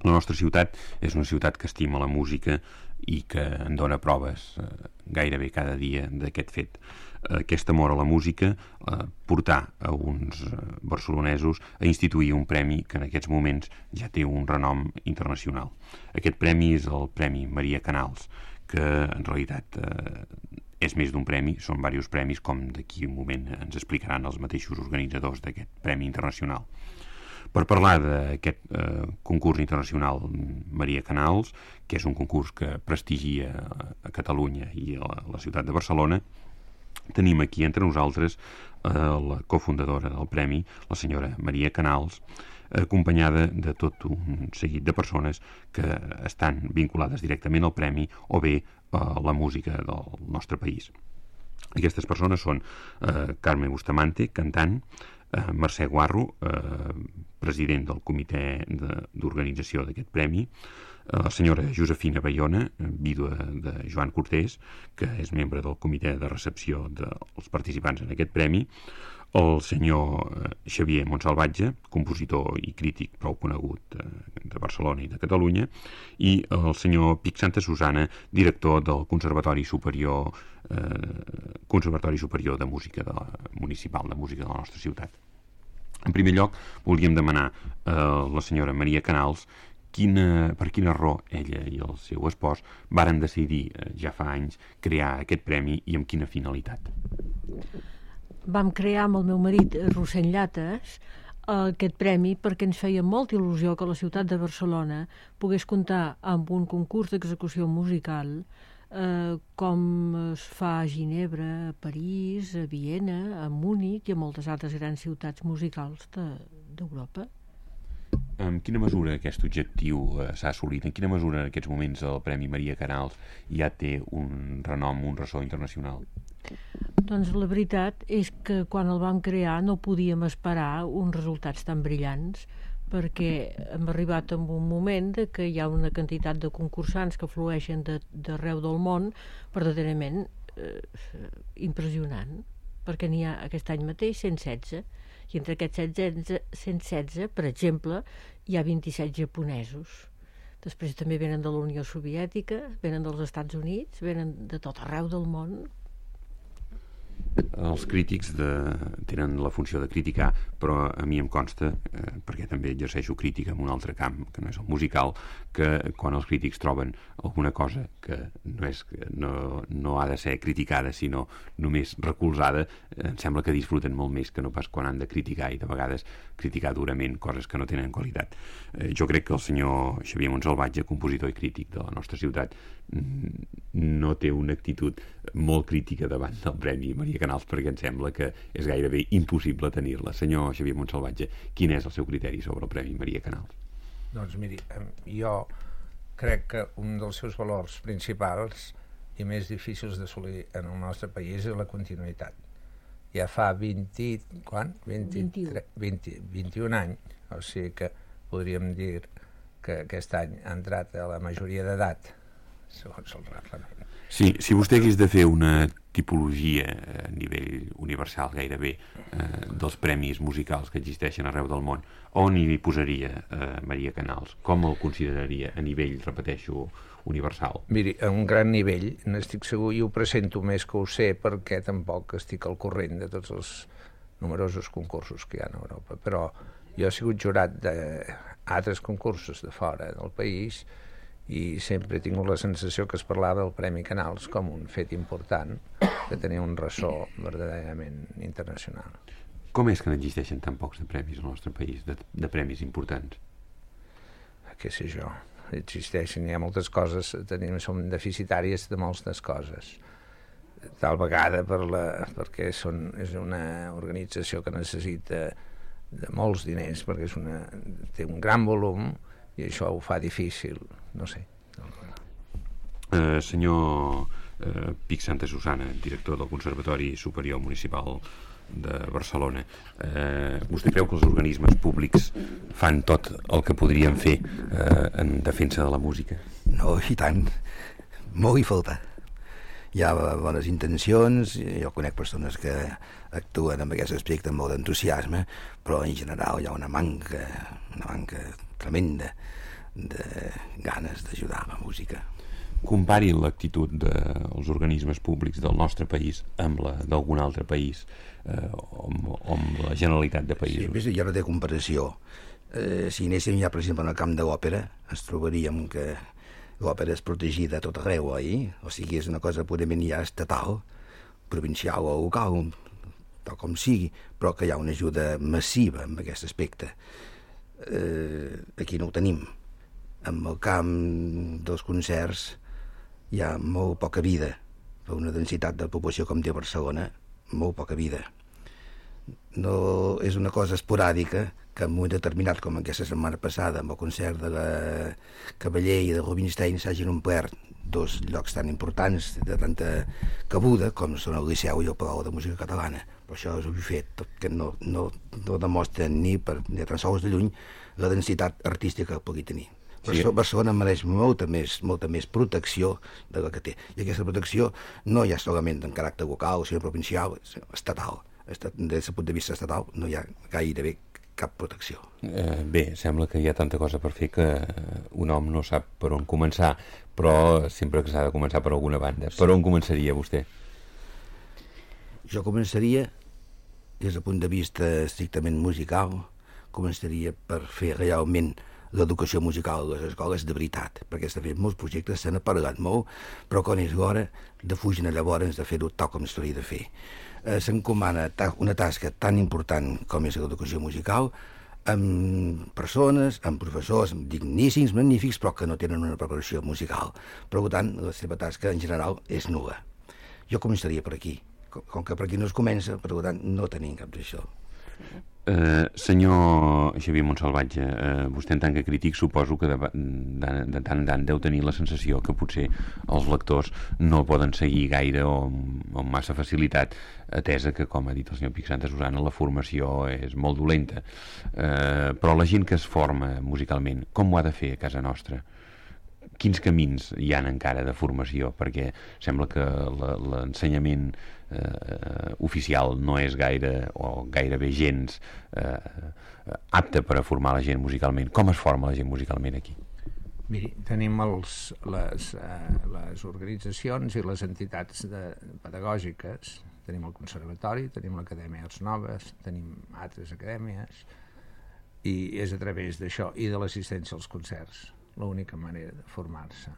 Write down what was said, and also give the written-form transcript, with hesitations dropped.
La nostra ciutat és una ciutat que estima la música i que en dona proves gairebé cada dia d'aquest fet. Aquest amor a la música portar a uns barcelonesos a instituir un premi que en aquests moments ja té un renom internacional. Aquest premi és el Premi Maria Canals, que en realitat és més d'un premi, són diversos premis, com d'aquí un moment ens explicaran els mateixos organitzadors d'aquest Premi Internacional. Per parlar d'aquest concurs internacional Maria Canals, que és un concurs que prestigia a Catalunya i a la ciutat de Barcelona, tenim aquí entre nosaltres la cofundadora del premi, la senyora Maria Canals, acompanyada de tot un seguit de persones que estan vinculades directament al premi o bé a la música del nostre país. Aquestes persones són Carme Bustamante, cantant, Mercè Guarro, president del comitè d'organització d'aquest premi, la senyora Josefina Bayona, vídua de Joan Cortés, que és membre del comitè de recepció dels participants en aquest premi, el senyor Xavier Montsalvatge, compositor i crític prou conegut de Barcelona i de Catalunya, i el senyor Pic Santa Susana, director del Conservatori Superior de Música Municipal de Música de la nostra ciutat. En primer lloc, volíem demanar a la senyora Maria Canals per quina raó ella i el seu espòs varen decidir ja fa anys crear aquest premi i amb quina finalitat. Vam crear amb el meu marit, Rossell Llates, aquest premi perquè ens feia molta il·lusió que la ciutat de Barcelona pogués comptar amb un concurs d'execució musical com es fa a Ginebra, a París, a Viena, a Múnich i a moltes altres grans ciutats musicals d'Europa. En quina mesura aquest objectiu s'ha assolit? En quina mesura en aquests moments el Premi Maria Canals ja té un renom, un ressò internacional? Doncs la veritat és que quan el vam crear no podíem esperar uns resultats tan brillants, perquè hem arribat en un moment que hi ha una quantitat de concursants que flueixen d'arreu del món verdaderament impressionant, perquè n'hi ha aquest any mateix 116, i entre aquests 116, per exemple, hi ha 27 japonesos. Després també venen de la Unió Soviètica, venen dels Estats Units, venen de tot arreu del món. Els crítics tenen la funció de criticar, però a mi em consta, perquè també exerceixo crítica en un altre camp, que no és el musical, que quan els crítics troben alguna cosa que no ha de ser criticada, sinó només recolzada, em sembla que disfruten molt més que no pas quan han de criticar, i de vegades criticar durament coses que no tenen qualitat. Jo crec que el senyor Xavier Montsalvatge, compositor i crític de la nostra ciutat, no té una actitud molt crítica davant del Premi Maria Canals, perquè em sembla que és gairebé impossible tenir-la. Senyor Xavier Montsalvatge, quin és el seu criteri sobre el Premi Maria Canals? Doncs miri, jo crec que un dels seus valors principals i més difícils d'assolir en el nostre país és la continuïtat. Ja fa 21 anys, o sigui que podríem dir que aquest any ha entrat a la majoria d'edat, segons el reglament. Sí, si vostè hagués de fer una tipologia a nivell universal gairebé dels premis musicals que existeixen arreu del món, on hi posaria Maria Canals? Com el consideraria a nivell, repeteixo, universal? Miri, a un gran nivell, n'estic segur, i ho presento més que ho sé perquè tampoc estic al corrent de tots els numerosos concursos que hi ha a Europa, però jo he sigut jurat d'altres concursos de fora del país i sempre he tingut la sensació que es parlava del Premi Canals com un fet important que tenia un ressò verdaderament internacional. Com és que n'existeixen tan pocs de premis al nostre país, de premis importants? Què sé jo, existeixen, hi ha moltes coses, som deficitàries de moltes coses, tal vegada perquè és una organització que necessita de molts diners, perquè té un gran volum i això ho fa difícil, no sé. Senyor Pic Santa Susana, director del Conservatori Superior Municipal de Barcelona, vostè creu que els organismes públics fan tot el que podrien fer en defensa de la música? No, i tant, molt hi falta. Hi ha bones intencions, jo conec persones que actuen en aquest aspecte amb molt d'entusiasme, però en general hi ha una manca tremenda de ganes d'ajudar a la música. Compari l'actitud dels organismes públics del nostre país amb la d'algun altre país, o amb la generalitat de països. Sí, hi ha de comparació. Si anéssim ja, per exemple, en el camp de l'òpera, ens trobaríem que l'òpera és protegida a tot arreu, oi? O sigui, és una cosa purament ja estatal, provincial o local, tal com sigui, però que hi ha una ajuda massiva en aquest aspecte. Aquí no ho tenim. En el camp dels concerts hi ha molt poca vida, per una densitat de població com té Barcelona, molt poca vida. No és una cosa esporàdica que en un moment determinat, com aquesta setmana passada, amb el concert de la Cavaller i de Rubinstein, s'hagin omplert dos llocs tan importants, de tanta cabuda, com són el Liceu i el Palau de Música Catalana. Però això és un fet que no demostra ni tan sols de lluny la densitat artística que pugui tenir. Sí. Barcelona mereix molta més protecció de la que té. I aquesta protecció no hi ha solament en caràcter local, sinó provincial, estatal. Des del punt de vista estatal no hi ha gairebé cap protecció. Bé, sembla que hi ha tanta cosa per fer que un home no sap per on començar, però sempre que s'ha de començar per alguna banda. Sí. Per on començaria vostè? Jo començaria, des del punt de vista estrictament musical, començaria per fer realment l'educació musical a les escoles de veritat, perquè s'ha fet molts projectes, se n'ha parlat molt, però quan és l'hora de fugir llavors de fer-ho tal com s'hauria de fer. S'encomana una tasca tan important com és l'educació musical amb persones, amb professors digníssims, magnífics, però que no tenen una preparació musical. Per tant, la seva tasca en general és nul·la. Jo començaria per aquí. Com que per aquí no es comença, per tant, no tenim cap d'això. Senyor Xavier Montsalvatge, vostè en tant que crític suposo que de tant en tant deu tenir la sensació que potser els lectors no poden seguir gaire o amb massa facilitat, atesa que, com ha dit el senyor Pic Santa Susana, la formació és molt dolenta, però la gent que es forma musicalment, com ho ha de fer a casa nostra? Quins camins hi han encara de formació? Perquè sembla que l'ensenyament oficial no és gaire o gairebé gens apte per a formar la gent musicalment. Com es forma la gent musicalment aquí? Miri, tenim les organitzacions i les entitats pedagògiques. Tenim el Conservatori, tenim l'Acadèmia Arts Noves, tenim altres acadèmies, i és a través d'això i de l'assistència als concerts l'única manera de formar-se.